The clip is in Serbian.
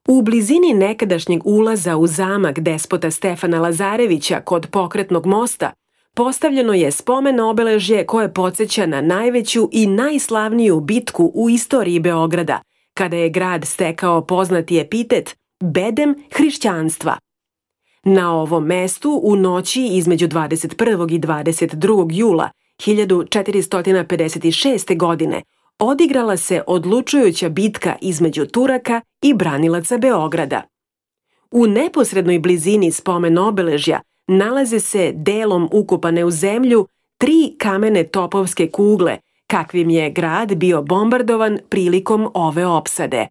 U blizini nekadašnjeg ulaza u zamak despota Stefana Lazarevića kod Pokretnog mosta postavljeno je spomen obeležje koje podsjeća na najveću i najslavniju bitku u istoriji Beograda, kada je grad stekao poznati epitet bedem hrišćanstva. Na ovom mestu u noći između 21. i 22. jula 1456. godine odigrala se odlučujuća bitka između Turaka i branilaca Beograda. U neposrednoj blizini spomen obeležja nalaze se delom ukopane u zemlju 3 kamene topovske kugle, kakvim je grad bio bombardovan prilikom ove opsade.